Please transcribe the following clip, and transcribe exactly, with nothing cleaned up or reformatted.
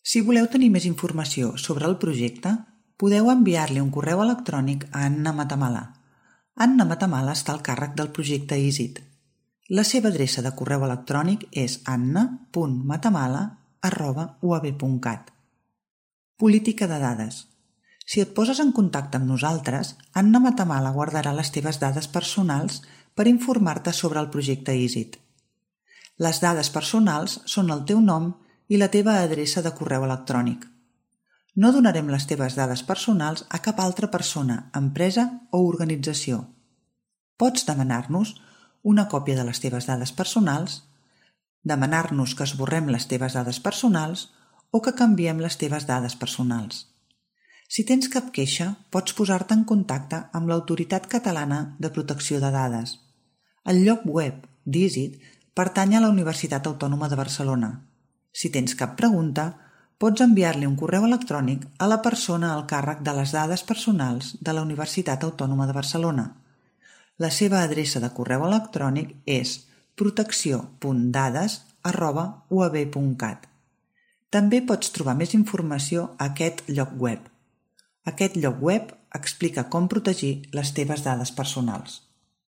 Si voleu tenir més informació sobre el projecte, podeu enviar-li un correu electrònic a Anna Matamala. Anna Matamala està al càrrec del projecte EASIT. La seva adreça de correu electrònic és anna punt matamala arroba u a b punt cat. Política de dades. Si et poses en contacte amb nosaltres, Anna Matamala guardarà les teves dades personals per informar-te sobre el projecte EASIT. Les dades personals són el teu nom i la teva adreça de correu electrònic. No donarem les teves dades personals a cap altra persona, empresa o organització. Pots demanar-nos una còpia de les teves dades personals, demanar-nos que esborrem les teves dades personals o que canviem les teves dades personals. Si tens cap queixa, pots posar-te en contacte amb l'Autoritat Catalana de Protecció de Dades. El lloc web d'EASIT pertany a la Universitat Autònoma de Barcelona. Si tens cap pregunta, pots enviar-li un correu electrònic a la persona al càrrec de les dades personals de la Universitat Autònoma de Barcelona. La seva adreça de correu electrònic és protecció punt dades arroba u a b punt cat. També pots trobar més informació a aquest lloc web. Aquest lloc web explica com protegir les teves dades personals.